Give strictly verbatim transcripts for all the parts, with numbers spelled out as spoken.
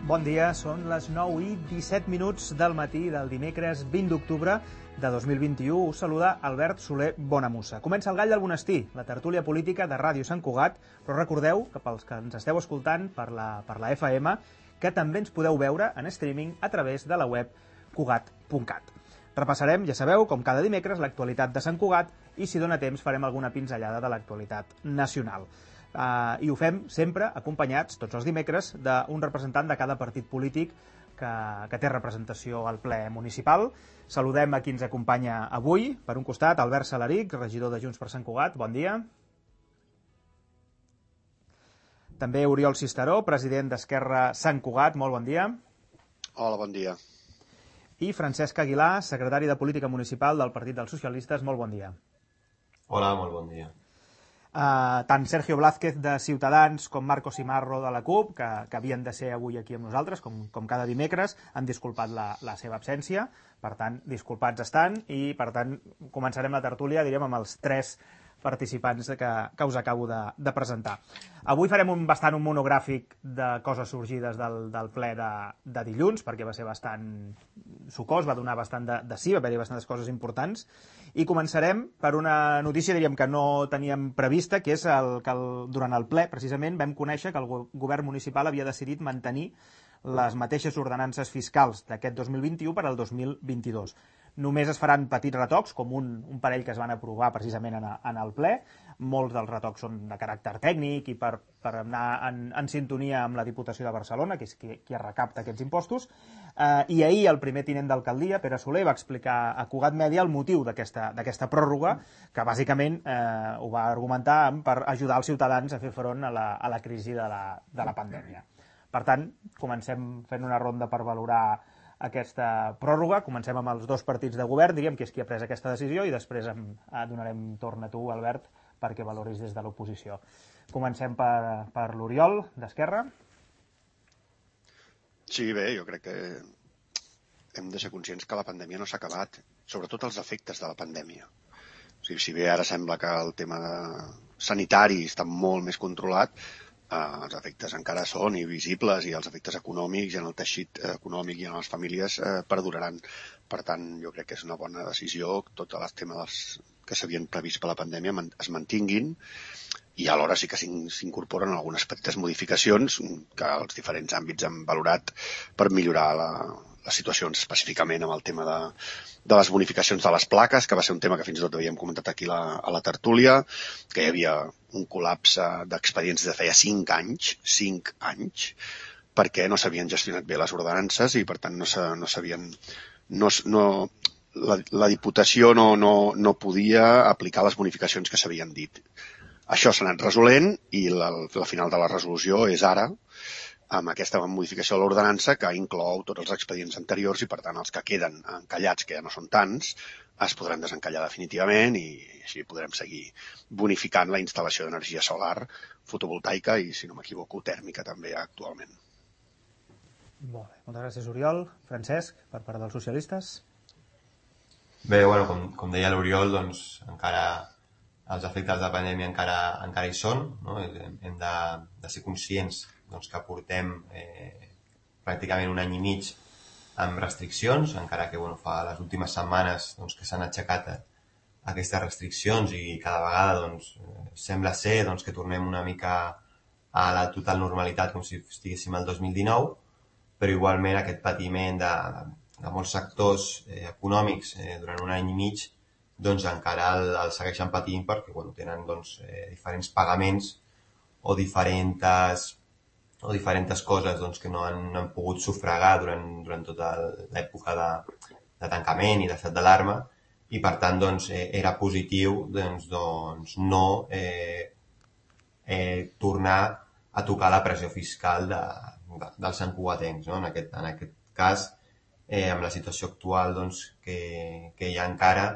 Bon dia, són les nou i disset minuts del matí del dimecres vint d'octubre de dos mil vint-i-u. Us saluda Albert Soler Bonamussa. Comença el Gall del Monestir, la tertúlia política de Ràdio Sant Cugat, però recordeu que pels que ens esteu escoltant per la, per la F M, que també ens podeu veure en streaming a través de la web cugat punt cat. Repassarem, ja sabeu, com cada dimecres, l'actualitat de Sant Cugat i, si dona temps, farem alguna pinzellada de l'actualitat nacional. Uh, I ho fem sempre acompanyats, tots els dimecres, d'un representant de cada partit polític que, que té representació al ple municipal. Saludem a qui ens acompanya avui. Per un costat, Albert Salaric, regidor de Junts per Sant Cugat. Bon dia. També Oriol Cisteró, president d'Esquerra Sant Cugat. Molt bon dia. Hola, bon dia. I Francesc Aguilar, secretari de Política Municipal del Partit dels Socialistes. Molt bon dia. Hola, molt bon dia. Uh, tant Sergio Blázquez de Ciutadans com Marco Simarro de la CUP, que, que havien de ser avui aquí amb nosaltres, com, com cada dimecres, han disculpat la, la seva absència. Per tant, disculpats estan i, per tant, començarem la tertúlia, diríem, amb els tres participants que, que us acabo de, de presentar. Avui farem un, bastant un monogràfic de coses sorgides del, del ple de, de dilluns, perquè va ser bastant sucós, va donar bastant de, de sí, va haver-hi bastantes coses importants, i començarem per una notícia, diríem, que no teníem prevista, que és el, que el, durant el ple, precisament, vam conèixer que el govern municipal havia decidit mantenir les mateixes ordenances fiscals d'aquest dos mil vint-i-u per al dos mil vint-i-dos. Només es faran petits retocs, com un, un parell que es van aprovar precisament en, a, en el ple. Molts dels retocs són de caràcter tècnic i per, per anar en, en sintonia amb la Diputació de Barcelona, que és qui, qui recapta aquests impostos. Eh, I ahir el primer tinent d'alcaldia, Pere Soler, va explicar a Cugat Mèdia el motiu d'aquesta d'aquesta pròrroga, que bàsicament eh, ho va argumentar per ajudar els ciutadans a fer front a la, a la crisi de la, de la pandèmia. Per tant, comencem fent una ronda per valorar aquesta pròrroga. Comencem amb els dos partits de govern, diríem que és qui ha pres aquesta decisió, i després em, donarem torn a tu, Albert, perquè valoris des de l'oposició. Comencem per, per l'Oriol, d'Esquerra. Sí, bé, jo crec que hem de ser conscients que la pandèmia no s'ha acabat, sobretot els efectes de la pandèmia. O sigui, si bé ara sembla que el tema sanitari està molt més controlat, Uh, els efectes encara són i visibles, i els efectes econòmics i en el teixit econòmic i en les famílies uh, perduraran. Per tant, jo crec que és una bona decisió que tots els temes que s'havien previst per la pandèmia es mantinguin, i alhora sí que s'incorporen algunes petites modificacions que els diferents àmbits han valorat per millorar la, les situacions, específicament amb el tema de, de les bonificacions de les plaques, que va ser un tema que fins i tot havíem comentat aquí la, a la tertúlia, que hi havia un col·lapse d'expedients de feia cinc anys, cinc anys, perquè no s'havien gestionat bé les ordenances i, per tant, no s'havien... No, no, la, la Diputació no, no, no podia aplicar les bonificacions que s'havien dit. Això s'ha anat resolent i la, la final de la resolució és ara, amb aquesta modificació de l'ordenança que inclou tots els expedients anteriors i, per tant, els que queden encallats, que ja no són tants, es podran desencallar definitivament i així podrem seguir bonificant la instal·lació d'energia solar fotovoltaica i, si no m'equivoco, tèrmica també actualment. Molt bé. Moltes gràcies, Oriol. Francesc, per part dels socialistes. Bé, bueno, com, com deia l'Oriol, doncs encara els efectes de la pandèmia encara, encara hi són, no? Hem de, de ser conscients doncs, que portem eh, pràcticament un any i mig amb restriccions, encara que bueno, fa les últimes setmanes doncs, que s'han aixecat aquestes restriccions i cada vegada doncs, sembla ser doncs, que tornem una mica a la total normalitat com si estiguéssim al dos mil dinou, però igualment aquest patiment de, de molts sectors eh, econòmics eh, durant un any i mig doncs, encara el, el segueixen patint perquè bueno, tenen doncs, eh, diferents pagaments o diferents o diferents coses doncs, que no han, no han pogut sufragar durant, durant tota l'època de, de tancament i d'estat d'alarma, i per tant doncs, eh, era positiu doncs, doncs, no eh, eh, tornar a tocar la pressió fiscal de, de, dels santcugatencs. No? En, aquest, en aquest cas, eh, amb la situació actual doncs, que, que hi ha encara,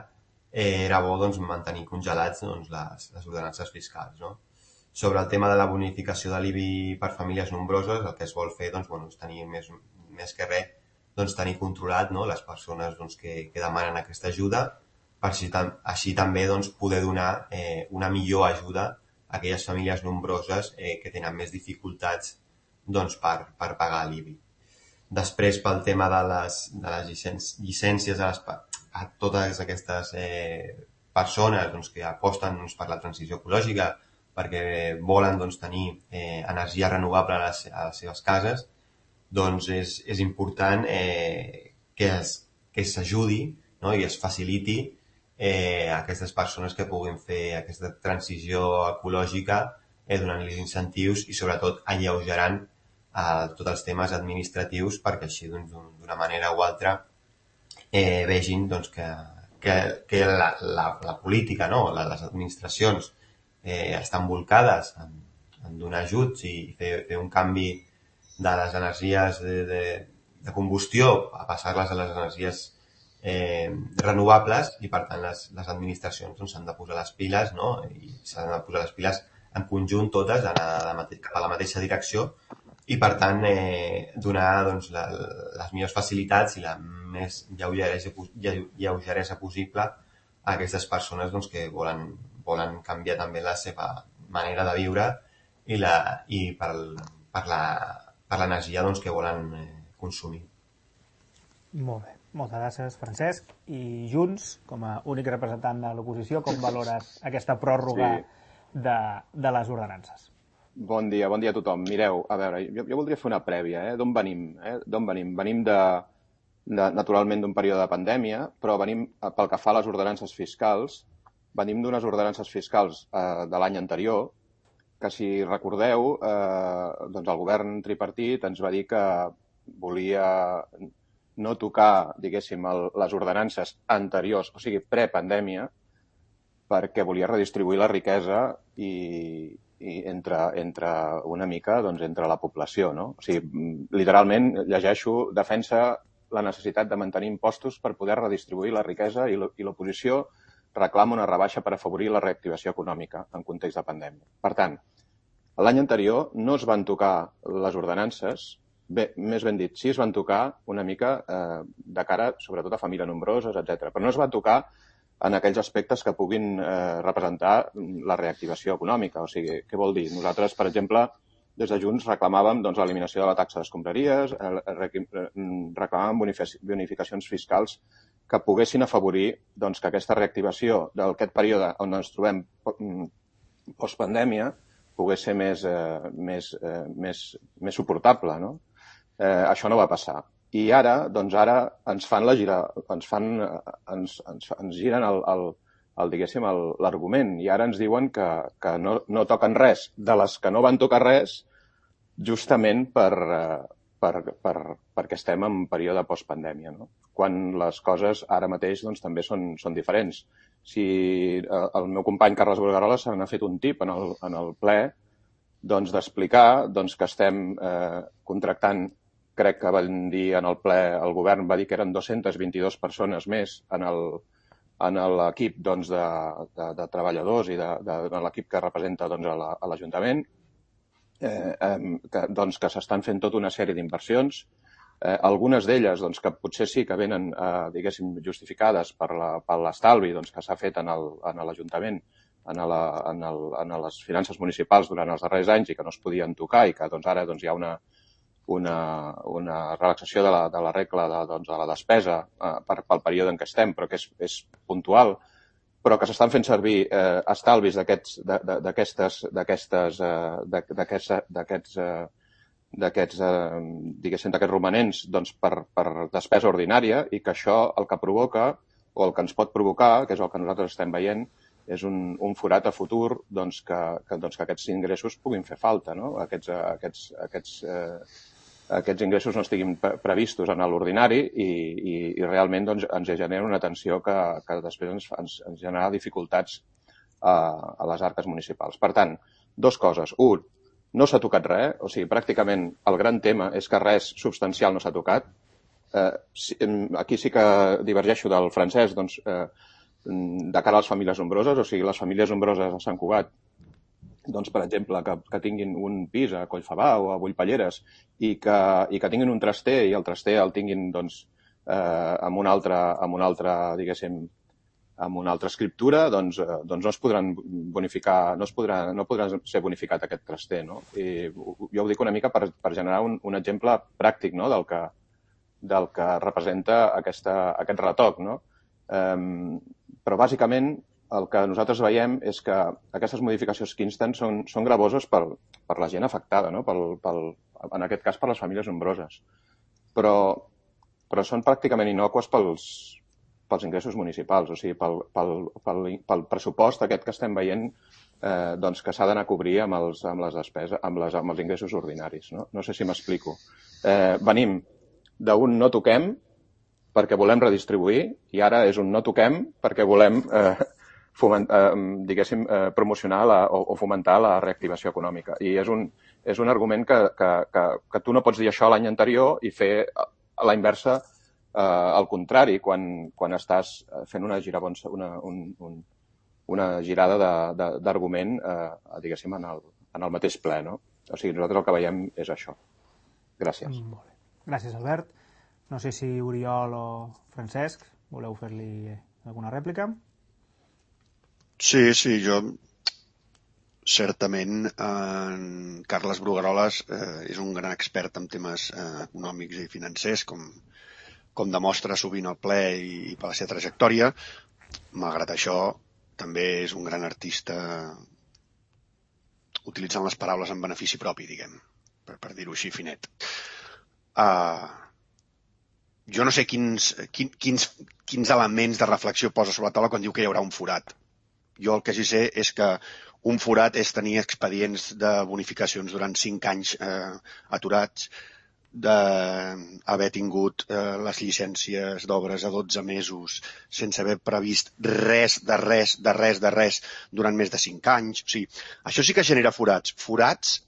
eh, era bo doncs, mantenir congelats doncs, les, les ordenances fiscals. No? Sobre el tema de la bonificació de l'I B I per famílies nombroses, el que es vol fer doncs, bueno, és tenir més, més que res doncs, tenir controlat no? les persones doncs, que, que demanen aquesta ajuda, per així, així també doncs, poder donar eh, una millor ajuda a aquelles famílies nombroses eh, que tenen més dificultats doncs, per, per pagar l'I B I. Després, pel tema de les, de les llicències a, les, a totes aquestes eh, persones doncs, que aposten doncs, per la transició ecològica, perquè volen doncs, tenir eh, energia renovable a les, a les seves cases, doncs és, és important eh, que es, que s'ajudi, no? I es faciliti eh, a aquestes persones que puguin fer aquesta transició ecològica eh, donant-los incentius i sobretot alleugerant a tots els temes administratius perquè així doncs, d'una manera o altra eh, vegin doncs, que, que, que la, la, la política, no? Les administracions eh, estan volcades en, en donar ajuts i fer, fer un canvi de les energies de, de, de combustió a passar-les a les energies eh, renovables i per tant les, les administracions doncs, s'han de posar les piles, no? I s'han de posar les piles en conjunt totes, anar de mate- cap a la mateixa direcció i per tant eh, donar doncs, la, les millors facilitats i la més lleugeresa, lleugeresa possible a aquestes persones doncs, que volen, volen canviar també la seva manera de viure i, la, i per, per, la, per l'energia doncs, que volen eh, consumir. Molt bé, moltes gràcies, Francesc. I Junts, com a únic representant de l'oposició, com valores aquesta pròrroga sí. de, de les ordenances? Bon dia, bon dia a tothom. Mireu, a veure, jo, jo voldria fer una prèvia, eh? D'on venim? Eh? D'on venim? Venim de, de, naturalment d'un període de pandèmia, però venim, pel que fa a les ordenances fiscals, venim d'unes ordenances fiscals eh, de l'any anterior, que si recordeu, eh, doncs el govern tripartit ens va dir que volia no tocar, diguéssim, el, les ordenances anteriors, o sigui, prepandèmia, perquè volia redistribuir la riquesa i i entre, entre una mica doncs, entre la població. No? O sigui, literalment, llegeixo, defensa la necessitat de mantenir impostos per poder redistribuir la riquesa i l'oposició reclama una rebaixa per afavorir la reactivació econòmica en context de pandèmia. Per tant, l'any anterior no es van tocar les ordenances, bé, més ben dit, sí es van tocar una mica eh, de cara, sobretot a famílies nombroses, etcètera. Però no es va tocar en aquells aspectes que puguin eh, representar la reactivació econòmica. O sigui, què vol dir? Nosaltres, per exemple, des de Junts reclamàvem doncs, l'eliminació de la taxa d'escombraries, reclamàvem bonificacions fiscals que poguessin afavorir doncs, que aquesta reactivació d'aquest període on ens trobem postpandèmia pogués ser més, eh, més, eh, més, més suportable. No? Eh, això no va passar. I ara, doncs ara ens fan la gira, ens fan, ens, ens, ens giren el, el, el diguéssim, l'argument. I ara ens diuen que, que no, no toquen res de les que no van tocar res justament per, per, per, perquè estem en període postpandèmia. No? Quan les coses ara mateix doncs, també són, són diferents. Si el meu company Carles Bulgarola se n'ha fet un tip en el, en el ple doncs, d'explicar doncs, que estem eh, contractant, crec que van dir en el ple, el govern va dir que eren dues-centes vint-i-dues persones més en l'equip doncs, de, de, de treballadors i de, de, de l'equip que representa doncs, a l'Ajuntament, eh, eh, que, doncs, que s'estan fent tota una sèrie d'inversions. Eh, algunes d'elles doncs, que potser sí que venen eh, diguéssim, justificades per l'estalvi doncs, que s'ha fet en l'Ajuntament en, la, en, el, en les finances municipals durant els darrers anys i que no es podien tocar i que doncs, ara doncs, hi ha una Una, una relaxació de la, de la regla de, doncs, de la despesa eh, per, pel període en què estem, però que és, és puntual, però que s'estan fent servir eh, estalvis d'aquestes d'aquestes d'aquests d'aquests diguéssim d'aquests romanents doncs, per, per despesa ordinària i que això el que provoca o el que ens pot provocar, que és el que nosaltres estem veient, és un, un forat a futur doncs, que, que, doncs, que aquests ingressos puguin fer falta, no? Aquests, aquests, aquests, eh, aquests ingressos no estiguin previstos en l'ordinari i, i, i realment doncs, ens genera una tensió que, que després ens, ens, ens genera dificultats a, a les arques municipals. Per tant, dues coses. Un, no s'ha tocat res, o sigui, pràcticament el gran tema és que res substancial no s'ha tocat. Eh, aquí sí que divergeixo del francès, doncs, eh, de cara a les famílies nombroses, o sigui, les famílies nombroses a Sant Cugat, doncs, per exemple, que, que tinguin un pis a Collfabà o a Bullpalleres i que, i que tinguin un traster i el traster el tinguin doncs, eh, amb una altra, amb una altra, diguéssim, amb una altra escriptura, doncs, eh, doncs no es podran bonificar, no es podrà, no podrà ser bonificat aquest traster, no? I jo ho dic una mica per, per generar un, un exemple pràctic, no?, del que, del que representa aquesta, aquest retoc, no? Um, però, bàsicament, el que nosaltres veiem és que aquestes modificacions que insten són, són gravoses per, per la gent afectada, no? Pel, pel, en aquest cas per les famílies nombroses. Però, però són pràcticament innocues pels, pels ingressos municipals, o sigui, pel, pel, pel, pel pressupost aquest que estem veient eh, doncs que s'ha d'anar a cobrir amb els, amb les despeses, amb, les, amb els ingressos ordinaris. No, no sé si m'explico. Eh, venim d'un no toquem perquè volem redistribuir i ara és un no toquem perquè volem eh, foment, eh, diguéssim, eh, promocionar la, o, o fomentar la reactivació econòmica. I és un, és un argument que, que, que, que tu no pots dir això l'any anterior i fer a la inversa eh, al contrari, quan, quan estàs fent una, girabons, una, un, un, una girada d'argument eh, diguéssim, en el, en el mateix ple. No? O sigui, nosaltres el que veiem és això. Gràcies. Mm, molt bé. Gràcies, Albert. No sé si Oriol o Francesc voleu fer-li alguna rèplica. Sí, sí, jo certament en Carles Brugueroles eh, és un gran expert en temes eh, econòmics i financers, com, com demostra sovint al ple i, i per la seva trajectòria. Malgrat això, també és un gran artista utilitzant les paraules en benefici propi, diguem, per, per dir-ho així finet. Uh, jo no sé quins, quin, quins, quins elements de reflexió posa sobre la taula quan diu que hi haurà un forat. Jo el que sí sé és que un forat és tenir expedients de bonificacions durant cinc anys eh, aturats, d'haver tingut eh, les llicències d'obres a dotze mesos sense haver previst res de res de res de res durant més de cinc anys. O sigui, això sí que genera forats. Forats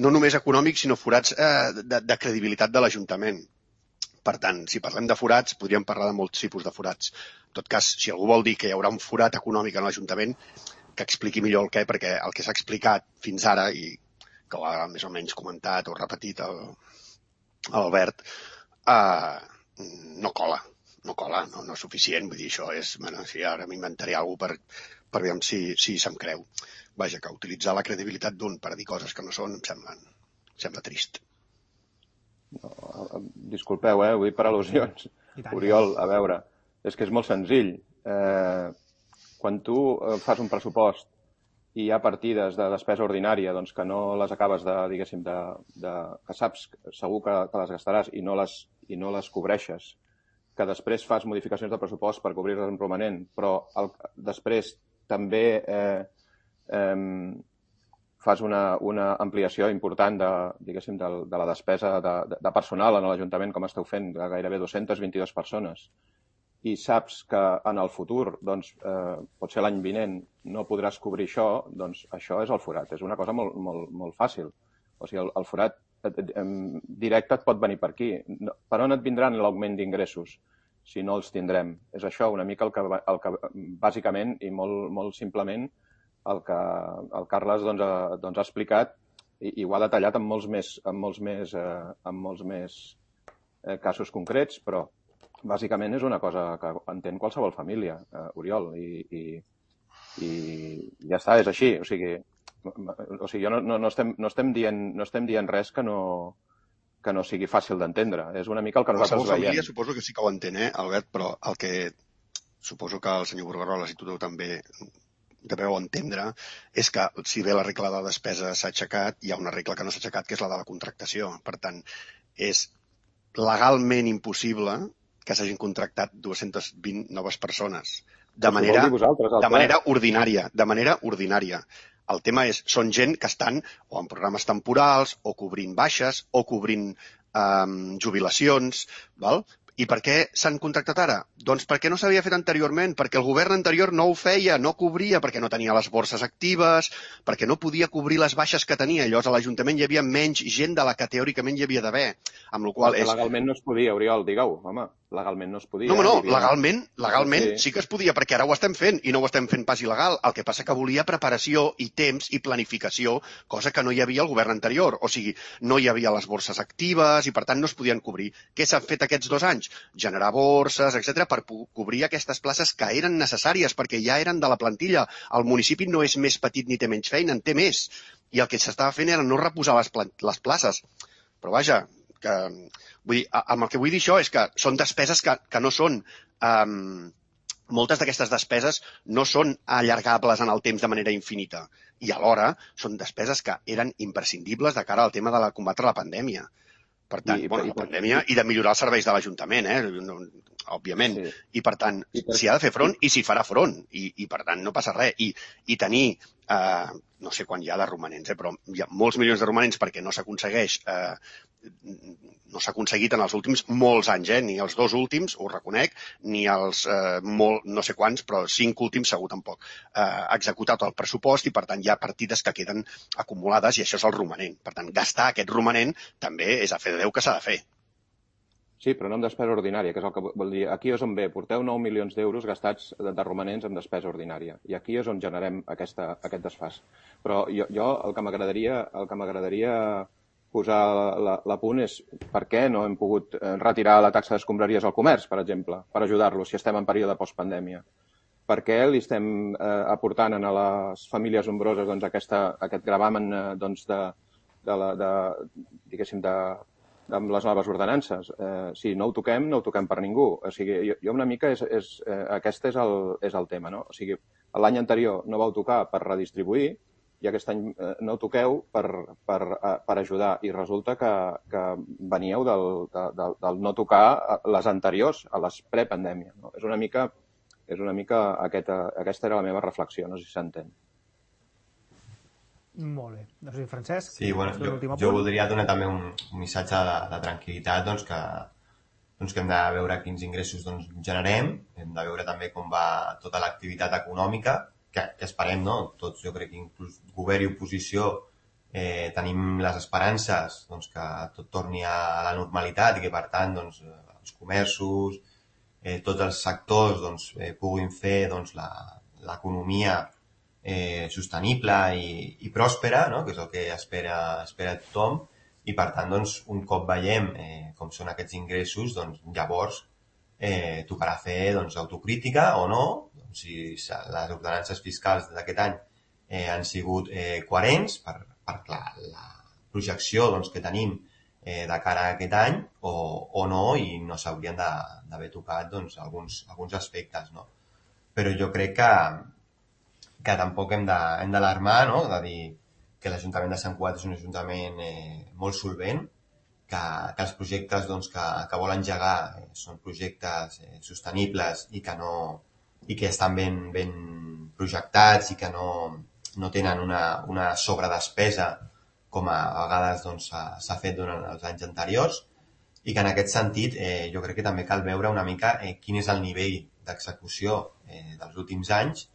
no només econòmics, sinó forats eh, de, de credibilitat de l'Ajuntament. Per tant, si parlem de forats, podríem parlar de molts tipus de forats. En tot cas, si algú vol dir que hi haurà un forat econòmic en l'Ajuntament, que expliqui millor el què, perquè el que s'ha explicat fins ara, i que ho ha més o menys comentat o repetit l'Albert, eh, no cola, no cola, no, no és suficient. Vull dir, això és, bueno, si ara m'inventaré alguna cosa per, per veure si, si se'm creu. Vaja, que utilitzar la credibilitat d'un per dir coses que no són em sembla, em sembla trist. No, disculpeu, eh? Vull dir per al·lusions. Oriol, a veure, és que és molt senzill. Eh, quan tu fas un pressupost i hi ha partides de despesa ordinària doncs, que no les acabes de, diguéssim, de, de, que saps segur que, que les gastaràs i no les, i no les cobreixes, que després fas modificacions de pressupost per cobrir-les en romanent, però el, després també eh, eh, fas una, una ampliació important de, diguéssim, de, de la despesa de, de personal en l'Ajuntament, com esteu fent, de gairebé dues-centes vint-i-dues persones, i saps que en el futur, doncs, eh, potser l'any vinent, no podràs cobrir això, doncs això és el forat. És una cosa molt, molt, molt fàcil. O sigui, el, el forat directe et pot venir per aquí. Per on et vindran l'augment d'ingressos si no els tindrem? És això una mica el que, el que bàsicament i molt, molt simplement el que el Carles doncs, ha, doncs, ha explicat i, i ho ha detallat en molts més, en molts més, eh, en molts més eh, casos concrets, però bàsicament és una cosa que entén qualsevol família, eh, Oriol, i, i, i ja està, és així. O sigui, o sigui jo no, no, no, estem, no, estem dient, no estem dient res que no, que no sigui fàcil d'entendre. És una mica el que nosaltres veiem. Família suposo que sí que ho entén, eh, Albert, però el que suposo que el senyor Brugueroles i tu també deveu entendre és que si bé la regla de despesa s'ha aixecat, hi ha una regla que no s'ha aixecat, que és la de la contractació. Per tant, és legalment impossible que s'hagin contractat dues-centes vint noves persones de manera, de manera ordinària, de manera ordinària. El tema és, són gent que estan o en programes temporals, o cobrint baixes, o cobrint eh, jubilacions, val? I per què s'han contractat ara? Doncs perquè no s'havia fet anteriorment, perquè el govern anterior no ho feia, no cobria, perquè no tenia les borses actives, perquè no podia cobrir les baixes que tenia. Llavors a l'Ajuntament hi havia menys gent de la que teòricament hi havia d'haver. Amb la qual és... Legalment no es podia, Oriol, digue-ho, home. Legalment no es podia. No, no, legalment, legalment sí. sí que es podia, perquè ara ho estem fent, i no ho estem fent pas il·legal. El que passa que volia preparació i temps i planificació, cosa que no hi havia al govern anterior. O sigui, no hi havia les borses actives i per tant no es podien cobrir. Què s'ha fet aquests dos anys? Generar borses, etcètera, per cobrir aquestes places que eren necessàries, perquè ja eren de la plantilla. El municipi no és més petit ni té menys feina, en té més. I el que s'estava fent era no reposar les, les places. Però vaja, que, vull dir, amb el que vull dir això és que són despeses que, que no són... Um, moltes d'aquestes despeses no són allargables en el temps de manera infinita i alhora són despeses que eren imprescindibles de cara al tema de la combatre la pandèmia. Per tant, I, bueno, la pandèmia i de millorar els serveis de l'Ajuntament, eh? No, òbviament. Sí. I per tant, s'hi ha de fer front i s'hi farà front. I, i per tant, no passa res. I, i tenir, eh, no sé quan hi ha de romanents, eh, però hi ha molts milions de romanents perquè no s'aconsegueix, eh, no s'ha aconseguit en els últims molts anys, eh? Ni els dos últims, ho reconec, ni els eh, molt, no sé quants, però cinc últims segur tampoc. Eh, executat el pressupost i per tant hi ha partides que queden acumulades i això és el romanent. Per tant, gastar aquest romanent també és a fer de Déu que s'ha de fer. Sí, però no en despesa ordinària, que és el que vol dir. Aquí és on ve, porteu nou milions d'euros gastats de, de romanents en despesa ordinària. I aquí és on generem aquesta, aquest desfàs. Però jo, jo el que m'agradaria el que m'agradaria posar l'apunt és per què no hem pogut retirar la taxa d'escombraries al comerç, per exemple, per ajudar-los si estem en període postpandèmia. Per què li estem eh, aportant a les famílies nombroses doncs, aquesta, aquest gravamen eh, doncs, de, de, la, de, diguéssim, de, amb les noves ordenances. Eh, si no ho toquem, no ho toquem per ningú. O sigui, jo, jo una mica, és, és, eh, aquest és el, és el tema, no? O sigui, l'any anterior no vau tocar per redistribuir i aquest any eh, no ho toqueu per, per, eh, per ajudar. I resulta que, que veníeu del, de, del, del no tocar les anteriors, a les prepandèmia. No? És una mica, és una mica aquesta, aquesta era la meva reflexió, no sé si s'entén. Molt bé. No sé si Francesc... Sí, bueno, jo, jo voldria donar també un, un missatge de, de tranquil·litat, doncs que, doncs que hem de veure quins ingressos doncs, generem, hem de veure també com va tota l'activitat econòmica, que, que esperem, no? Tots, jo crec que inclús govern i oposició eh, tenim les esperances doncs, que tot torni a la normalitat i que, per tant, doncs, els comerços, eh, tots els sectors doncs, eh, puguin fer doncs, l'economia eh, sostenible i, i pròspera, no? Que és el que espera, espera tothom, i per tant, doncs, un cop veiem eh, com són aquests ingressos, doncs, llavors eh, tocarà fer doncs, autocrítica o no, doncs, si les ordenances fiscals d'aquest any eh, han sigut eh, coherents per, per la, la projecció doncs, que tenim eh, de cara a aquest any o, o no, i no s'haurien d'haver tocat doncs, alguns, alguns aspectes. No? Però jo crec que, que tampoc hem d'alarmar, no? De dir que l'Ajuntament de Sant Cugat és un ajuntament eh, molt solvent, que, que els projectes doncs, que, que vol engegar eh, són projectes eh, sostenibles i que, no, i que estan ben, ben projectats i que no, no tenen una, una sobredespesa com a, a vegades doncs, s'ha fet durant els anys anteriors, i que en aquest sentit eh, jo crec que també cal veure una mica eh, quin és el nivell d'execució eh, dels últims anys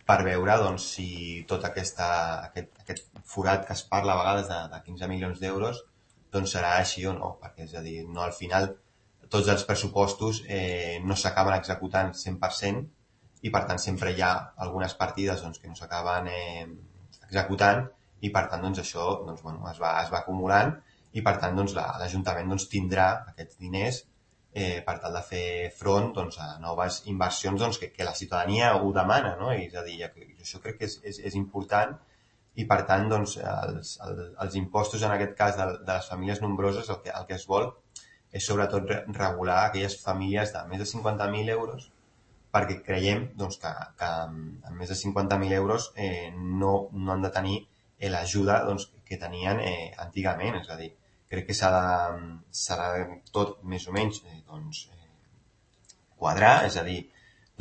per veure doncs, si tot aquesta, aquest, aquest forat que es parla a vegades de, de quinze milions d'euros doncs serà així o no, perquè és a dir, no, al final tots els pressupostos eh, no s'acaben executant cent per cent i per tant sempre hi ha algunes partides doncs, que no s'acaben eh, executant i per tant doncs, això doncs, bueno, es, va, es va acumulant i per tant doncs, l'Ajuntament doncs, tindrà aquests diners eh, per tal de fer front doncs, a noves inversions doncs, que, que la ciutadania ho demana, no? I, és a dir, això crec que és, és, és important i per tant doncs, els, els, els impostos en aquest cas de, de les famílies nombroses el que, el que es vol és sobretot regular aquelles famílies de més de cinquanta mil euros perquè creiem doncs, que, que amb més de cinquanta mil euros eh, no, no han de tenir eh, l'ajuda doncs, que tenien eh, antigament, és a dir, crec que s'ha de, s'ha de tot més o menys eh, doncs, eh, quadrar, és a dir,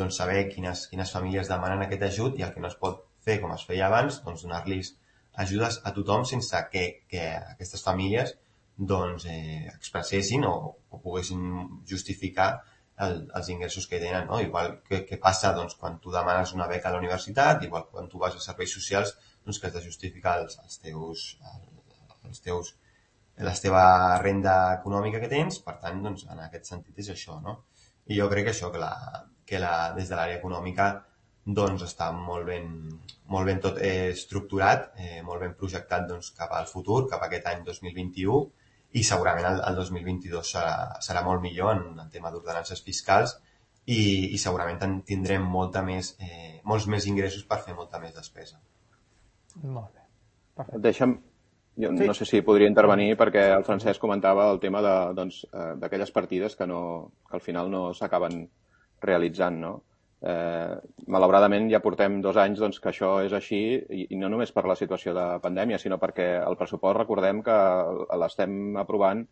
doncs, saber quines, quines famílies demanen aquest ajut i el que no es pot fer com es feia abans, doncs donar-los ajudes a tothom sense que, que aquestes famílies doncs, eh, expressessin o, o poguessin justificar el, els ingressos que tenen. No? Igual que, que passa doncs, quan tu demanes una beca a la universitat, igual quan tu vas a serveis socials, doncs, que has de justificar els, els teus, els teus, la teva renda econòmica que tens, per tant, doncs, en aquest sentit és això. No? I jo crec que això, que, la, que la, des de l'àrea econòmica doncs està molt ben, molt ben tot eh, estructurat, eh, molt ben projectat doncs, cap al futur, cap a aquest any dos mil vint-i-u, i segurament el, el dos mil vint-i-dos serà, serà molt millor en el tema d'ordenances fiscals i, i segurament tindrem molta més, eh, molts més ingressos per fer molta més despesa. Molt bé. Perfecte. Deixa'm, Jo no sé si podria intervenir perquè el Francesc comentava el tema d'aquelles partides que, no, que al final no s'acaben realitzant, no? Eh, malauradament ja portem dos anys doncs, que això és així i, i no només per la situació de pandèmia, sinó perquè el pressupost recordem que l'estem aprovant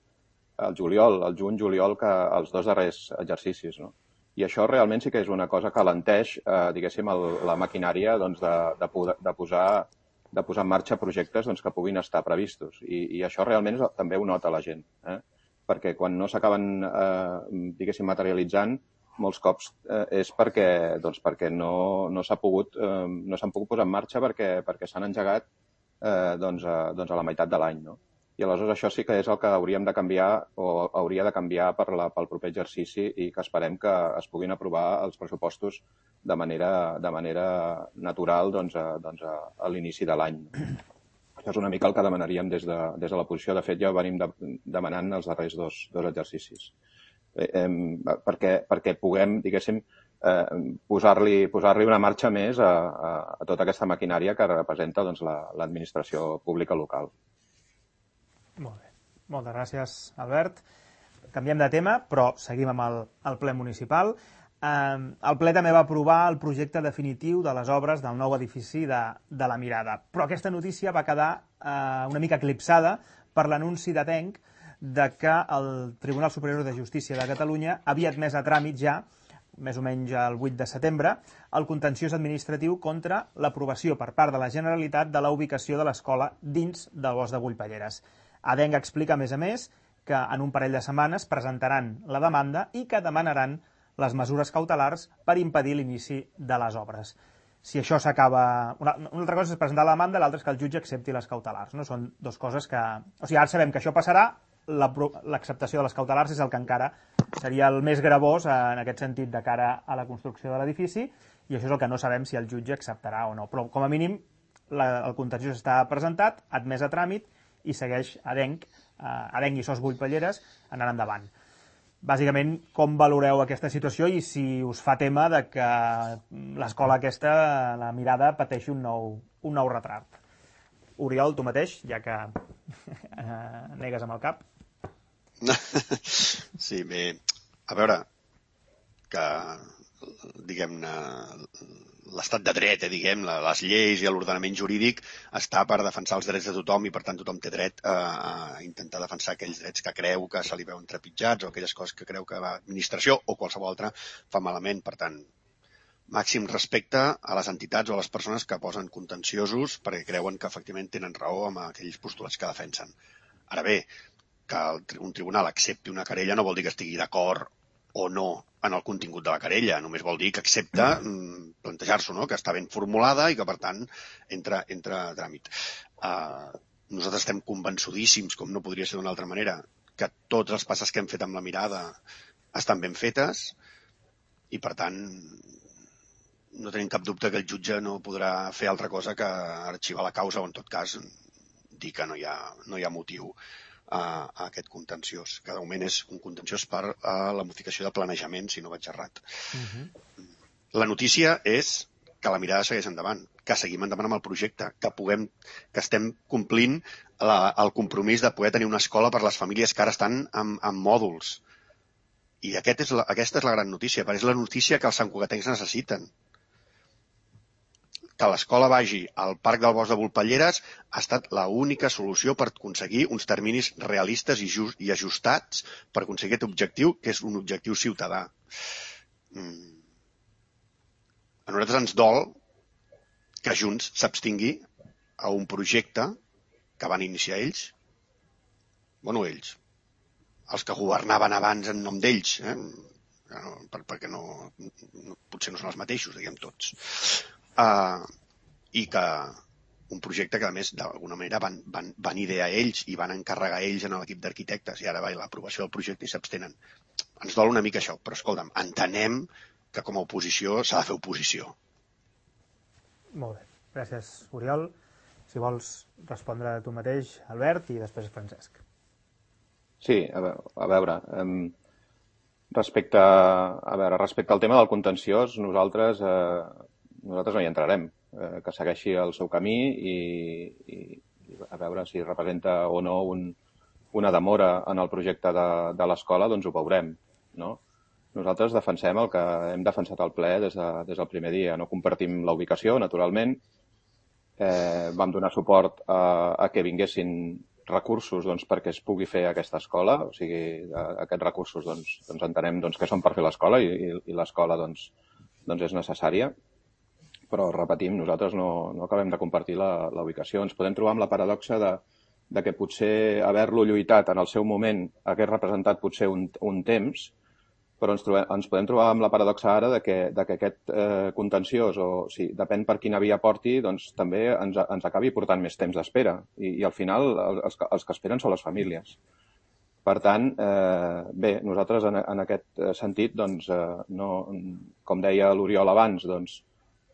el juliol, el juny-juliol, que els dos darrers exercicis, no? I això realment sí que és una cosa que alenteix, eh, diguéssim, el, la maquinària doncs, de, de, de, posar, de posar en marxa projectes doncs, que puguin estar previstos. I, i això realment és, també ho nota la gent, eh? Perquè quan no s'acaben, eh, diguéssim, materialitzant, molts cops eh, és perquè, doncs, perquè no, no s'ha pogut, eh, no s'han pogut posar en marxa perquè, perquè s'han engegat eh, doncs, a, doncs a la meitat de l'any, no? I aleshores això sí que és el que hauríem de canviar o hauria de canviar per la, pel proper exercici i que esperem que es puguin aprovar els pressupostos de manera, de manera natural doncs, a, doncs a, a l'inici de l'any. Això és una mica el que demanaríem des de, des de la posició. De fet, ja ho venim de, demanant els darrers dos, dos exercicis. Eh, eh, perquè, perquè puguem, diguéssim, eh, posar-li posar-li una marxa més a, a, a tota aquesta maquinària que representa doncs, l'administració la, pública local. Molt bé. Moltes gràcies, Albert. Canviem de tema, però seguim amb el, el ple municipal. Eh, el ple també va aprovar el projecte definitiu de les obres del nou edifici de, de la Mirada. Però aquesta notícia va quedar eh, una mica eclipsada per l'anunci d'Adenc de que el Tribunal Superior de Justícia de Catalunya havia admès a tràmit ja, més o menys el vuit de setembre, el contenciós administratiu contra l'aprovació per part de la Generalitat de la ubicació de l'escola dins del bosc de Bullpalleres. Adenc explica, a més a més, que en un parell de setmanes presentaran la demanda i que demanaran les mesures cautelars per impedir l'inici de les obres. Si això s'acaba... Una, una altra cosa és presentar la demanda, l'altra és que el jutge accepti les cautelars, no? Són dues coses que... O sigui, ara sabem que això passarà, l'acceptació de les cautelars és el que encara seria el més gravós en aquest sentit de cara a la construcció de l'edifici, i això és el que no sabem si el jutge acceptarà o no. Però, com a mínim, la, el contenciós està presentat, admès a tràmit, i segueix Adenc, eh, Adenc i Sos Bullpalleres anant endavant. Bàsicament, com valoreu aquesta situació i si us fa tema de que l'escola aquesta, la Mirada, pateixi un nou, un nou retrat? Oriol, tu mateix, ja que eh, negues amb el cap. Sí, bé, a veure, que, diguem-ne, l'estat de dret, eh, diguem, les lleis i l'ordenament jurídic està per defensar els drets de tothom i, per tant, tothom té dret a, a intentar defensar aquells drets que creu que se li veuen trepitjats o aquelles coses que creu que l'administració o qualsevol altra fa malament. Per tant, màxim respecte a les entitats o a les persones que posen contenciosos perquè creuen que efectivament tenen raó amb aquells postulats que defensen. Ara bé, que un tribunal accepti una querella no vol dir que estigui d'acord o no en el contingut de la querella, només vol dir que accepta mm, plantejar-s'ho, no? Que està ben formulada i que, per tant, entra, entra a tràmit. Uh, nosaltres estem convençudíssims, com no podria ser d'una altra manera, que totes les passes que hem fet amb la Mirada estan ben fetes i, per tant, no tenim cap dubte que el jutge no podrà fer altra cosa que arxivar la causa o, en tot cas, dir que no hi ha, no hi ha motiu a, a aquest contenciós, que de moment és un contenciós per a la modificació de planejament, si no vaig errat. Uh-huh. La notícia és que la Mirada segueix endavant, que seguim endavant amb el projecte, que puguem, que estem complint la, el compromís de poder tenir una escola per a les famílies que ara estan en, en mòduls. I aquest és la, aquesta és la gran notícia, perquè és la notícia que els santcugatencs necessiten. Que l'escola vagi al Parc del Bosc de Bullpalleres ha estat l'única solució per aconseguir uns terminis realistes i, just, i ajustats per aconseguir aquest objectiu, que és un objectiu ciutadà. Mm. A nosaltres ens dol que Junts s'abstingui a un projecte que van iniciar ells, bueno, ells, els que governaven abans en nom d'ells, eh? per, perquè no, no, potser no són els mateixos, diguem tots. Uh, i que un projecte que, a més, d'alguna manera van, van, van idear ells i van encarregar ells en l'equip d'arquitectes i ara va l'aprovació del projecte i s'abstenen. Ens dol una mica això, però escolta'm, entenem que com a oposició s'ha de fer oposició. Molt bé. Gràcies, Oriol. Si vols respondre tu mateix, Albert, i després Francesc. Sí, a veure, a veure um, respecte, a veure, respecte al tema del contenciós, nosaltres... Uh, nosaltres no hi entrarem, eh, que segueixi el seu camí i, i, a veure si representa o no un, una demora en el projecte de, de l'escola, doncs ho veurem, no? Nosaltres defensem el que hem defensat al ple des, de, des del primer dia. No compartim la ubicació, naturalment. Eh, vam donar suport a, a que vinguessin recursos doncs, perquè es pugui fer aquesta escola. O sigui, a, aquests recursos doncs, doncs entenem doncs, que són per fer l'escola i, i, i l'escola doncs, doncs és necessària. Però, repetim, nosaltres no, no acabem de compartir la, la ubicació. Ens podem trobar amb la paradoxa de, de que potser haver-lo lluitat en el seu moment hagués representat potser un, un temps, però ens, trobem, ens podem trobar amb la paradoxa ara de que, de que aquest eh, contenciós, o sí, depèn per quina via porti, doncs també ens, ens acabi portant més temps d'espera. I, I al final els, els que esperen són les famílies. Per tant, eh, bé, nosaltres en, en aquest sentit, doncs, eh, no, com deia l'Oriol abans, doncs,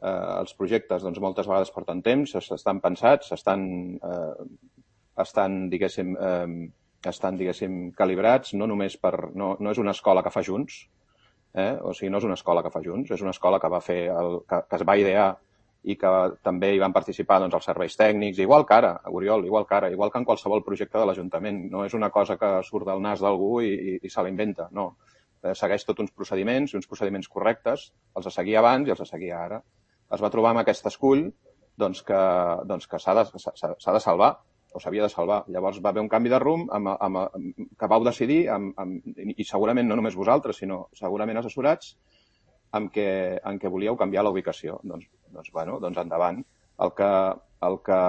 eh, els projectes doncs, moltes vegades porten temps, estan pensats, estan, eh, estan diguéssim, eh, estan, diguéssim, calibrats, no només per... No, no és una escola que fa Junts, eh? O sigui, no és una escola que fa Junts, és una escola que va fer el, que, que es va idear i que també hi van participar doncs, els serveis tècnics, igual que ara, Oriol, igual que ara, igual que en qualsevol projecte de l'Ajuntament. No és una cosa que surt del nas d'algú i, i, i se l'inventa, no. Eh, segueix tots uns procediments, uns procediments correctes, els de seguir abans i els de seguir ara. Es va trobar amb aquest escull doncs, que, doncs, que s'ha de, s'ha de salvar, o s'havia de salvar. Llavors va haver un canvi de rumb amb, amb, amb, que vau decidir, amb, amb, i segurament no només vosaltres, sinó segurament assessorats, amb què, en què volíeu canviar la ubicació. Doncs, doncs, bueno, doncs endavant. El que, el, que,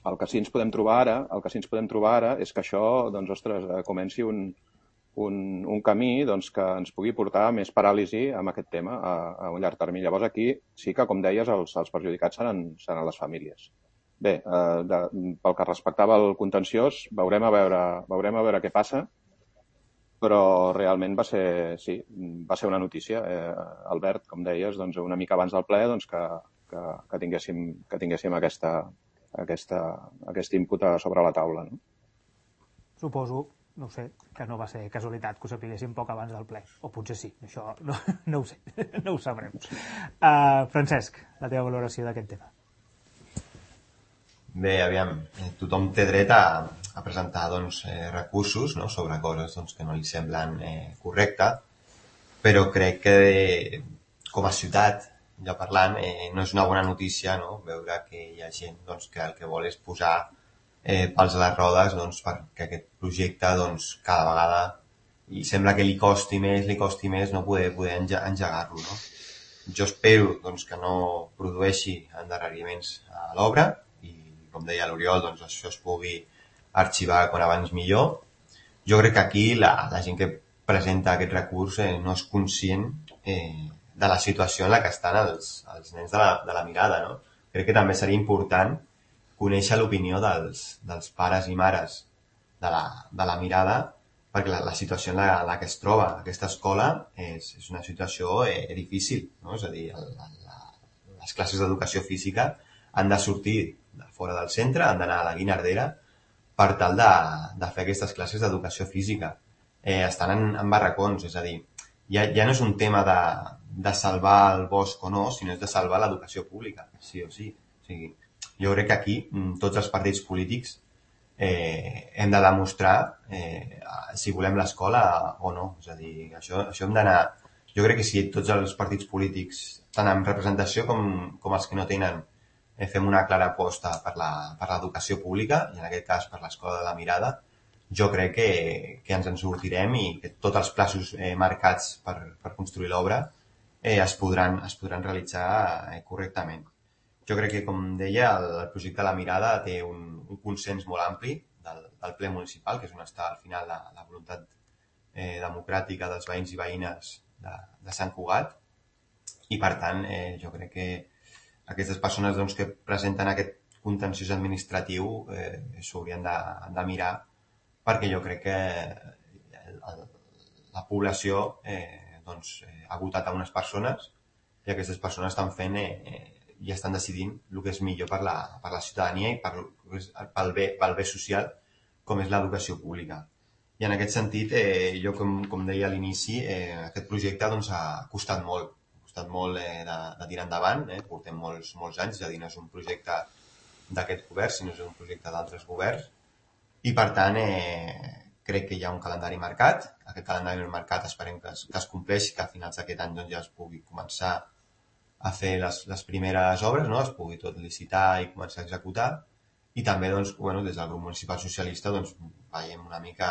el que sí ens podem trobar ara, el que sí ens podem trobar ara és que això, doncs, ostres, comenci un, un, un camí doncs, que ens pugui portar més paràlisi amb aquest tema a, a un llarg termini. Llavors aquí sí que, com deies, els, els perjudicats seran, seran les famílies. Bé, eh, de, pel que respectava al contenciós, veurem a veure, veurem a veure què passa, però realment va ser, sí, va ser una notícia. Eh, Albert, com deies, doncs, una mica abans del ple, doncs, que, que, que tinguéssim, que tinguéssim aquesta, aquesta, aquest input sobre la taula. No? Suposo, no ho sé, que no va ser casualitat que ho sapiguéssim poc abans del ple. O potser sí, això no, no ho sé, no ho sabrem. Uh, Francesc, la teva valoració d'aquest tema. Bé, aviam, tothom té dret a, a presentar doncs, eh, recursos, no?, sobre coses doncs, que no li semblen eh, correctes, però crec que eh, com a ciutat, ja parlant, eh, no és una bona notícia, no?, veure que hi ha gent doncs, que el que vol és posar eh, pals a les rodes doncs, perquè aquest projecte doncs, cada vegada i sembla que li costi més, li costi més no poder, poder engegar-lo. No? Jo espero doncs, que no produeixi endarreriments a l'obra, com deia l'Oriol, doncs això es pugui arxivar quan abans millor. Jo crec que aquí la, la gent que presenta aquest recurs eh, no és conscient eh, de la situació en la que estan els, els nens de la, de la mirada. No? Crec que també seria important conèixer l'opinió dels, dels pares i mares de la, de la mirada, perquè la, la situació en la, en la que es troba aquesta escola és, és una situació eh, difícil. No? És a dir, el, la, les classes d'educació física han de sortir de fora del centre, han d'anar a la Guinardera per tal de, de fer aquestes classes d'educació física. Eh, estan en, en barracons, és a dir, ja, ja no és un tema de, de salvar el bosc o no, sinó és de salvar l'educació pública, sí o sí. O sigui, jo crec que aquí tots els partits polítics eh, hem de demostrar eh, si volem l'escola o no. És a dir, això, això hem d'anar... Jo crec que si tots els partits polítics, tant en representació com, com els que no tenen, fem una clara aposta per l'educació pública, i en aquest cas per l'escola de la mirada, jo crec que, que ens en sortirem i que tots els plaços eh, marcats per, per construir l'obra eh, es, podran, es podran realitzar eh, correctament. Jo crec que, com deia, el, el projecte de la mirada té un, un consens molt ampli del, del ple municipal, que és on està al final la, la voluntat eh, democràtica dels veïns i veïnes de, de Sant Cugat, i per tant eh, jo crec que aquestes persones doncs, que presenten aquest contenciós administratiu eh, s'haurien de, de mirar, perquè jo crec que el, el, la població eh, doncs, eh, ha votat a unes persones i aquestes persones estan fent eh, i estan decidint el que és millor per la, per la ciutadania i per, pel, bé, pel bé social, com és l'educació pública. I en aquest sentit, eh, jo com, com deia a l'inici, eh, aquest projecte doncs, ha costat molt. Ha costat molt eh, de, de tirar endavant, eh? Portem molts, molts anys, és a dir, no és un projecte d'aquest govern, sinó és un projecte d'altres governs, i per tant eh, crec que hi ha un calendari marcat. Aquest calendari marcat esperem que es, que es compleixi, que a finals d'aquest any doncs, ja es pugui començar a fer les, les primeres obres, no? Es pugui tot licitar i començar a executar. I també doncs, bueno, des del grup municipal socialista doncs, veiem una mica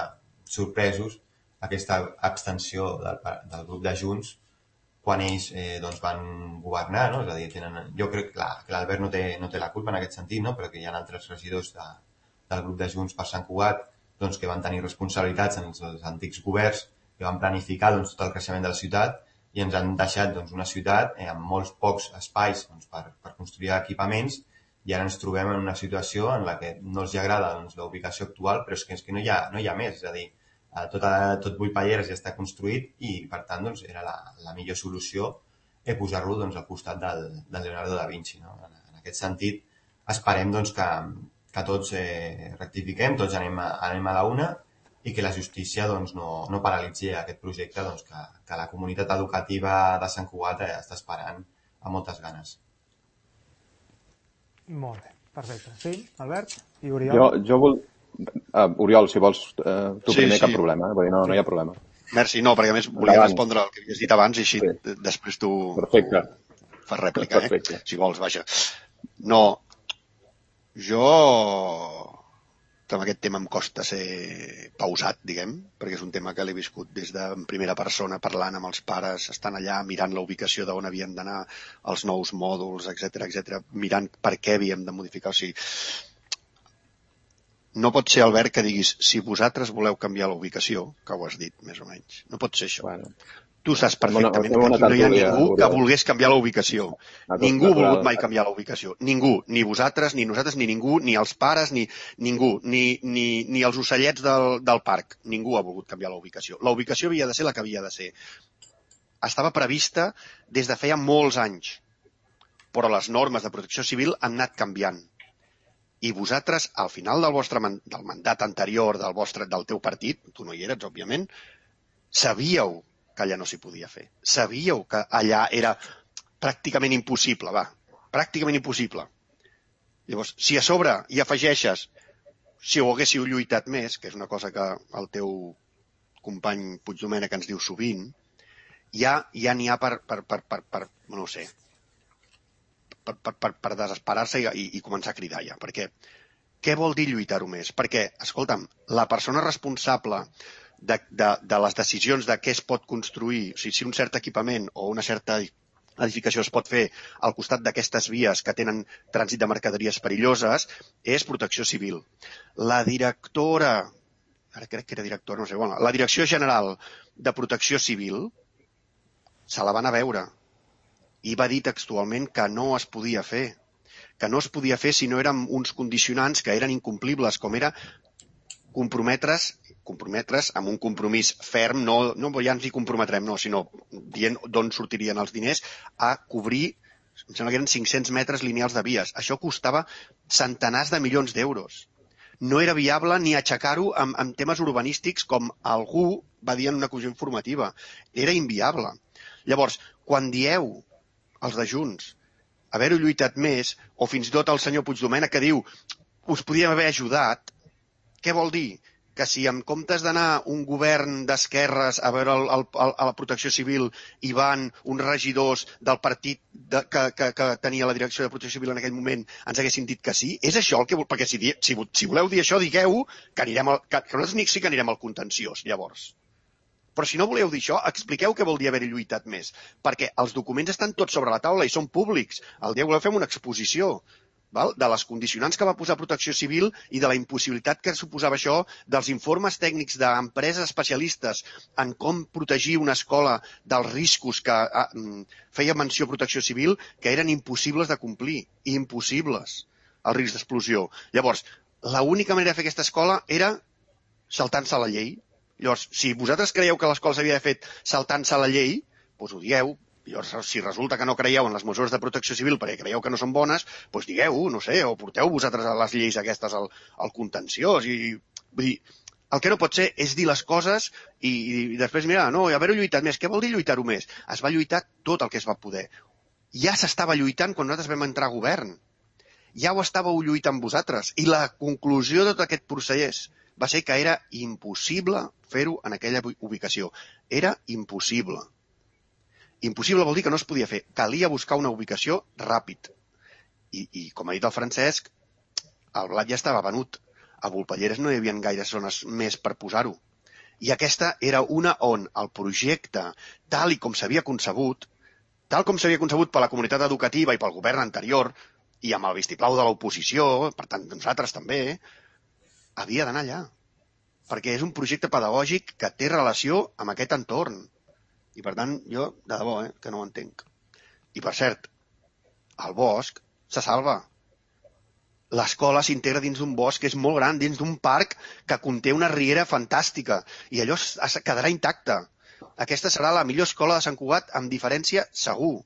sorpresos aquesta abstenció del, del grup de Junts quan ells eh, doncs, van governar, no? És a dir, tenen, jo crec clar, que l'Albert no, té, no té la culpa en aquest sentit, no? Però que hi ha altres regidors de, del grup de Junts per Sant Cugat doncs, que van tenir responsabilitats en els, els antics governs, que van planificar doncs, tot el creixement de la ciutat i ens han deixat doncs, una ciutat eh, amb molts pocs espais doncs, per, per construir equipaments, i ara ens trobem en una situació en la que no els agrada doncs, la ubicació actual, però és que, és que no, hi ha, no hi ha més, és a dir, tot, tot Buipalleres ja està construït i per tant doncs, era la, la millor solució eh, posar-lo doncs, al costat del, del Leonardo da Vinci. No? En, en aquest sentit, esperem doncs, que, que tots eh, rectifiquem, tots anem a, anem a la una i que la justícia doncs, no, no paralitzi aquest projecte doncs, que, que la comunitat educativa de Sant Cugat eh, està esperant amb moltes ganes. Molt bé, perfecte. Sí, Albert i Oriol? Jo, jo vol... Uh, Oriol, si vols uh, tu sí, primer, sí. Cap problema, eh? Vull dir, no, no hi ha problema. Merci, no, perquè a més volia Endavant. respondre al que havies dit abans i així sí. Després tu Perfecte. fas rèplica, Perfecte. eh? Si vols, vaja. No, jo amb aquest tema em costa ser pausat, diguem, perquè és un tema que l'he viscut des de en primera persona, parlant amb els pares, estan allà mirant la ubicació d'on havien d'anar els nous mòduls, etcètera, etcètera, mirant per què havíem de modificar. O sigui, no pot ser, Albert, que diguis si vosaltres voleu canviar la ubicació, que ho has dit, més o menys. No pot ser això. Bueno. Tu saps perfectament Bona, que aquí no hi ha ningú que Oriol. volgués canviar la ubicació. Ningú ha volgut mai canviar la ubicació. Ningú. Ni vosaltres, ni nosaltres, ni ningú, ni els pares, ni ningú. Ni, ni, ni els ocellets del, del parc. Ningú ha volgut canviar la ubicació. La ubicació havia de ser la que havia de ser. Estava prevista des de feia molts anys. Però les normes de protecció civil han anat canviant. I vosaltres, al final del vostre del mandat anterior del, vostre, del teu partit, tu no hi eres, òbviament, sabíeu que allà no s'hi podia fer. Sabíeu que allà era pràcticament impossible, va, pràcticament impossible. Llavors, si a sobre hi afegeixes, si ho haguéssiu lluitat més, que és una cosa que el teu company Puigdomènech ens diu sovint, ja ja n'hi ha per, per, per, per, per, no sé, per, per, per, per desesperar-se i, i, i començar a cridar ja. Perquè què vol dir lluitar-ho més? Perquè, escolta'm, la persona responsable De, de, de les decisions de què es pot construir, o sigui, si un cert equipament o una certa edificació es pot fer al costat d'aquestes vies que tenen trànsit de mercaderies perilloses, és protecció civil. La directora, ara crec que era directora, no sé, bueno, la Direcció General de Protecció Civil se la van a veure i va dir textualment que no es podia fer, que no es podia fer si no eren uns condicionants que eren incomplibles, com era comprometre's comprometre's amb un compromís ferm, no, no ja ens hi comprometrem, no, sinó dient d'on sortirien els diners a cobrir, em sembla que eren cinc-cents metres lineals de vies. Això costava centenars de milions d'euros. No era viable ni aixecar-ho amb, amb temes urbanístics com algú va dir en una comissió informativa. Era inviable. Llavors, quan dieu els de Junts haver-ho lluitat més, o fins i tot el senyor Puigdomènech que diu us podíem haver ajudat, què vol dir? Que si en comptes d'anar un govern d'esquerres a veure el, el, el, a la protecció civil hi van uns regidors del partit de, que, que, que tenia la direcció de protecció civil en aquell moment, ens haguessin dit que sí? És això el que... Perquè si, si, si voleu dir això, digueu que, anirem al, que, que nosaltres sí que anirem al contenciós, llavors. Però si no voleu dir això, expliqueu què vol dir haver lluitat més. Perquè els documents estan tots sobre la taula i són públics. El dia voleu fer una exposició, val? De les condicionants que va posar Protecció Civil i de la impossibilitat que suposava això dels informes tècnics d'empreses especialistes en com protegir una escola dels riscos que ah, feia menció Protecció Civil, que eren impossibles de complir, impossibles, el risc d'explosió. Llavors, l'única manera de fer aquesta escola era saltant-se la llei. Llavors, si vosaltres creieu que l'escola s'havia fet saltant-se la llei, doncs ho dieu. Llavors, si resulta que no creieu en les mesures de protecció civil perquè creieu que no són bones, doncs digueu-ho, no sé, o porteu vosaltres les lleis aquestes al, al contenciós. I, vull dir, el que no pot ser és dir les coses i, i després, mira, no, haver-ho lluitat més. Què vol dir lluitar-ho més? Es va lluitar tot el que es va poder. Ja s'estava lluitant quan nosaltres vam entrar a govern. ja ho estàveu lluitant vosaltres. I la conclusió de tot aquest procés va ser que era impossible fer-ho en aquella ubicació. Era impossible. Impossible vol dir que no es podia fer. Calia buscar una ubicació ràpid. I, i com ha dit el Francesc, el blat ja estava venut. A Volpelleres no hi havia gaires zones més per posar-ho. I aquesta era una on el projecte, tal i com s'havia concebut, tal com s'havia concebut per la comunitat educativa i pel govern anterior, i amb el vistiplau de l'oposició, per tant nosaltres també, havia d'anar allà. Perquè és un projecte pedagògic que té relació amb aquest entorn. I per tant, jo, de debò, eh, que no ho entenc. I per cert, el bosc se salva. L'escola s'integra dins d'un bosc que és molt gran, dins d'un parc que conté una riera fantàstica, i allò quedarà intacte. Aquesta serà la millor escola de Sant Cugat, amb diferència, segur.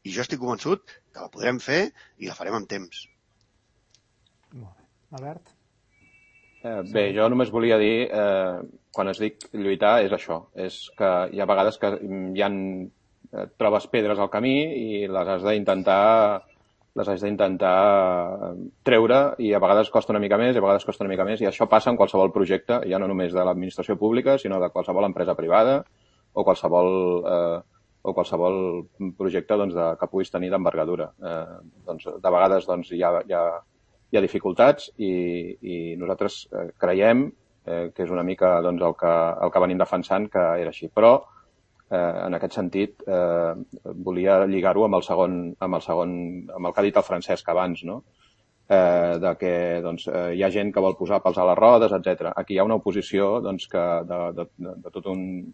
I jo estic convençut que la podrem fer i la farem amb temps. Molt bé. Albert? Eh, bé, jo només volia dir, eh, quan es dic lluitar, és això. És que hi ha vegades que hi ha, eh, trobes pedres al camí i les has d'intentar les has d'intentar treure i a vegades costa una mica més i a vegades costa una mica més i això passa en qualsevol projecte, ja no només de l'administració pública, sinó de qualsevol empresa privada o qualsevol, eh, o qualsevol projecte doncs, de, que puguis tenir d'envergadura. Eh, doncs, de vegades doncs, hi, ha, hi, ha, hi ha dificultats i, i nosaltres eh, creiem eh, que és una mica doncs, el, que, el que venim defensant que era així. Però Eh, en aquest sentit, eh, volia lligar-ho amb el segon, amb el segon, amb el que ha dit el Francesc abans, no? Eh, de que doncs, eh, hi ha gent que vol posar pals a les rodes, etcètera. Aquí hi ha una oposició doncs, que de, de, de, de, tot un,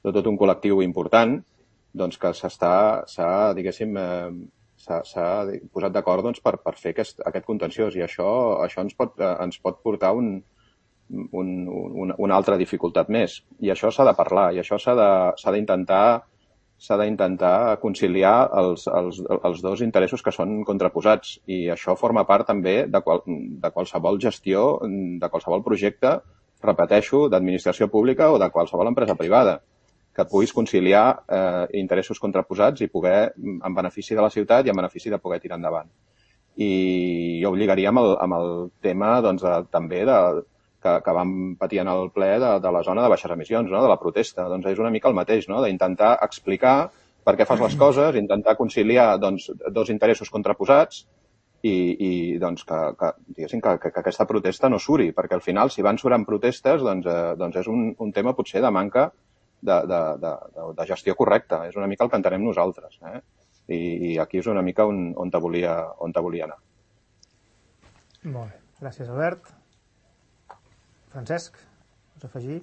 de tot un col·lectiu important doncs, que s'està, s'ha, diguéssim, eh, s'ha, s'ha posat d'acord doncs, per, per fer aquest, aquest contenciós i això, això ens, pot, eh, ens pot portar un Un, un, una altra dificultat més. I això s'ha de parlar, i això s'ha d'intentar s'ha d'intentar conciliar els, els, els dos interessos que són contraposats. I això forma part també de, qual, de qualsevol gestió, de qualsevol projecte, repeteixo, d'administració pública o de qualsevol empresa privada, que puguis conciliar eh, interessos contraposats i poder, en benefici de la ciutat i en benefici de poder tirar endavant. I jo ho lligaria amb el, amb el tema doncs, de, també de Que, que vam patir en el ple de, de la zona de baixes emissions, no? De la protesta. Doncs és una mica el mateix, no? D'intentar explicar per què fas les coses, intentar conciliar doncs, dos interessos contraposats i, i doncs, que, que, diguéssim, que, que, que aquesta protesta no suri, perquè al final, si van surant protestes, doncs, eh, doncs és un, un tema potser de manca de, de, de, de gestió correcta. És una mica el que entenem nosaltres. Eh? I, I aquí és una mica on, on, te volia, on te volia anar. Molt bé. Gràcies, Albert. Francesc, vols afegir?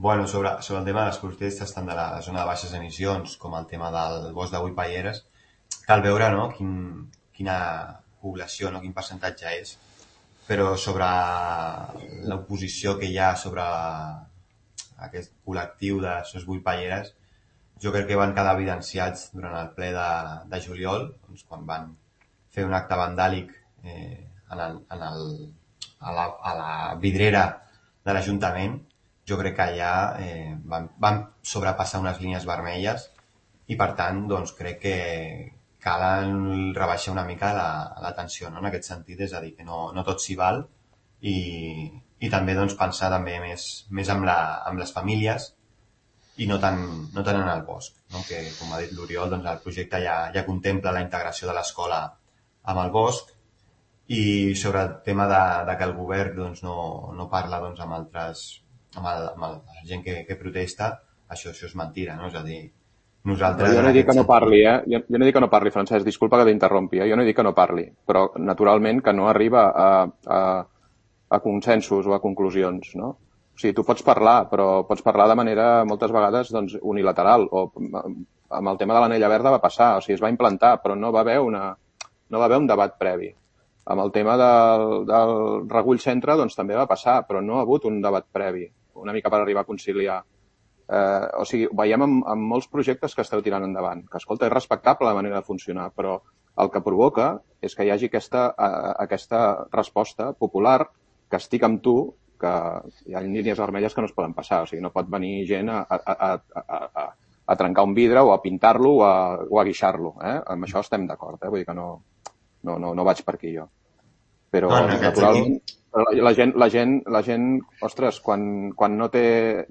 Bueno, sobre, sobre el tema de les protestes, tant de la zona de baixes emissions com el tema del bosc de Volpelleres, cal veure no, quin, quina població, no, quin percentatge és, però sobre l'oposició que hi ha sobre aquest col·lectiu de Sos Volpelleres, jo crec que van quedar evidenciats durant el ple de, de juliol, doncs, quan van fer un acte vandàlic eh, en el, en el A la, a la vidrera de l'Ajuntament. Jo crec que allà eh, van, van sobrepassar unes línies vermelles i, per tant, doncs, crec que calen rebaixar una mica la, la tensió, no? En aquest sentit, és a dir, que no, no tot s'hi val i, i també doncs, pensar també més, més amb, la, amb les famílies i no tant, no tant en el bosc, no? Que, com ha dit l'Oriol, doncs, el projecte ja, ja contempla la integració de l'escola amb el bosc. I sobre el tema de, de que el govern doncs, no, no parla doncs, amb altres, amb, el, amb el, la gent que, que protesta, això, això és mentira, no? És a dir, nosaltres... Jo no he dit que no parli, eh? Jo, jo no he dit que no parli, Francesc, disculpa que t'interrompi, eh? Jo no he dit que no parli, però naturalment que no arriba a, a, a consensos o a conclusions, no? O sigui, tu pots parlar, però pots parlar de manera, moltes vegades, doncs, unilateral, o amb el tema de l'anella verda va passar, o sigui, es va implantar, però no va haver una, no va haver un debat previ. Amb el tema del, del regull centre doncs també va passar, però no ha hagut un debat previ, una mica per arribar a conciliar. Eh, o sigui, veiem en, en molts projectes que esteu tirant endavant, que, escolta, és respectable la manera de funcionar, però el que provoca és que hi hagi aquesta, a, aquesta resposta popular que estic amb tu, que hi ha línies vermelles que no es poden passar, o sigui, no pot venir gent a, a, a, a, a, a trencar un vidre o a pintar-lo o a, o a guixar-lo. Eh? Amb això estem d'acord, eh? Vull dir que no... no, no, no vaig per aquí jo. Però, no, no, naturalment, la gent, la gent, la gent, ostres, quan, quan no té,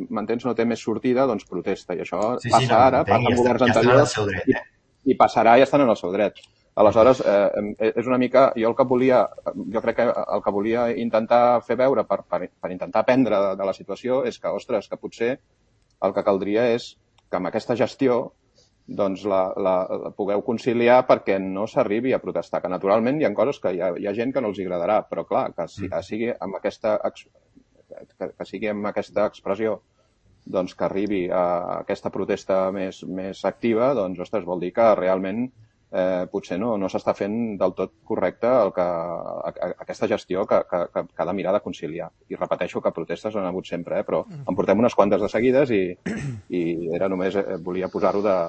m'entens, no té més sortida, doncs protesta. I això sí, passa sí, no, ara, passa en governs ja anteriors, dret, eh? i, i passarà i estan en el seu dret. Aleshores, eh, és una mica, jo el que volia, jo crec que el que volia intentar fer veure per, per, per intentar aprendre de, de la situació és que, ostres, que potser el que caldria és que amb aquesta gestió doncs la, la, la pugueu conciliar perquè no s'arribi a protestar, que naturalment hi ha coses que hi ha, hi ha gent que no els agradarà, però clar, que, si, que sigui amb aquesta que, que sigui amb aquesta expressió doncs que arribi a aquesta protesta més, més activa, doncs, ostres, vol dir que realment eh, potser no, no s'està fent del tot correcte el que, a, a, aquesta gestió que, que, que, que ha de mirar de conciliar. I repeteixo que protestes han hagut sempre, eh, però en portem unes quantes de seguides i, i era només, eh, volia posar-ho de,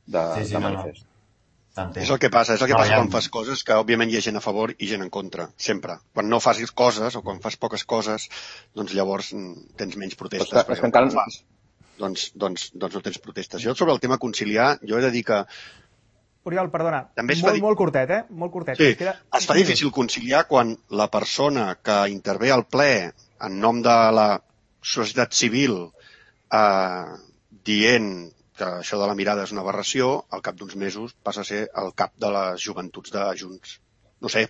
de, sí, sí, de manifest. No, no. És el que passa, és el que no, passa ja... quan fas coses que òbviament hi ha gent a favor i gent en contra, sempre. Quan no fas coses o quan fas poques coses, doncs llavors tens menys protestes, que, perquè encara... quan fas, doncs, doncs, doncs no tens protestes. Jo sobre el tema conciliar, jo he de dir que Oriol, perdona, molt, di... molt curtet, eh? Molt curtet. Sí, queda... es fa difícil conciliar quan la persona que intervé al ple en nom de la societat civil eh, dient que això de la mirada és una aberració, al cap d'uns mesos passa a ser el cap de les joventuts de Junts. No sé,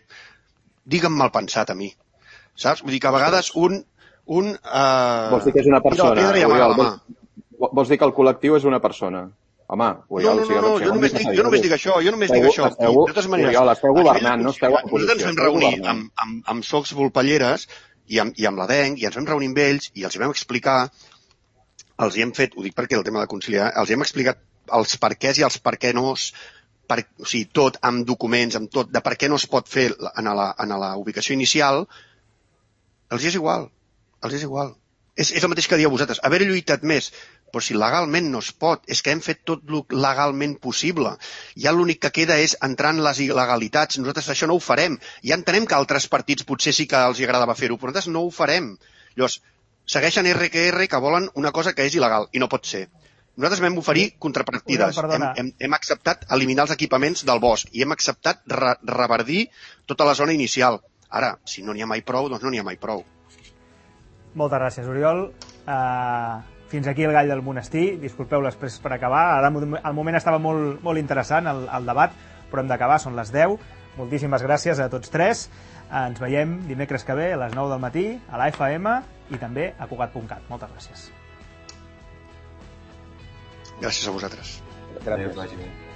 digue'm mal pensat a mi, saps? Vull dir que a vegades un... un eh... Vols dir que és una persona? Oriol, vols, vols dir que el col·lectiu és una persona? Home, Oriol, no, no, no, no, jo només, dic, jo només dic això, jo només dic això. Esteu, I, de totes maneres, Oriol, esteu governant, no esteu a posició. Nosaltres ens vam reunir amb, amb, amb Socs Volpelleres i amb, i amb la D E N C i ens vam reunir amb ells i els vam explicar, els hi hem fet, ho dic perquè el tema de conciliar, els hi hem explicat els perquès i els per què no, per, o sigui, tot amb documents, amb tot, de per què no es pot fer en la, en la ubicació inicial, els hi és igual, els hi és igual. És, és el mateix que dieu vosaltres, haver lluitat més, però si legalment no es pot, és que hem fet tot el legalment possible. Ja l'únic que queda és entrar en les il·legalitats. Nosaltres això no ho farem. Ja entenem que altres partits potser sí que els agradava fer-ho, però nosaltres no ho farem. Llavors, segueixen erre que erre que volen una cosa que és il·legal, i no pot ser. Nosaltres vam oferir contrapartides. Hem, hem, hem acceptat eliminar els equipaments del bosc i hem acceptat re reverdir tota la zona inicial. Ara, si no n'hi ha mai prou, doncs no n'hi ha mai prou. Moltes gràcies, Oriol. Uh, fins aquí el Gall del Monestir. Disculpeu les presses per acabar. Ara el moment estava molt, molt interessant, el, el debat, però hem d'acabar, són les deu. Moltíssimes gràcies a tots tres. Uh, ens veiem dimecres que ve a les nou del matí a l'A F M i també a Cugat punt cat. Moltes gràcies. Gràcies a vosaltres. Gràcies.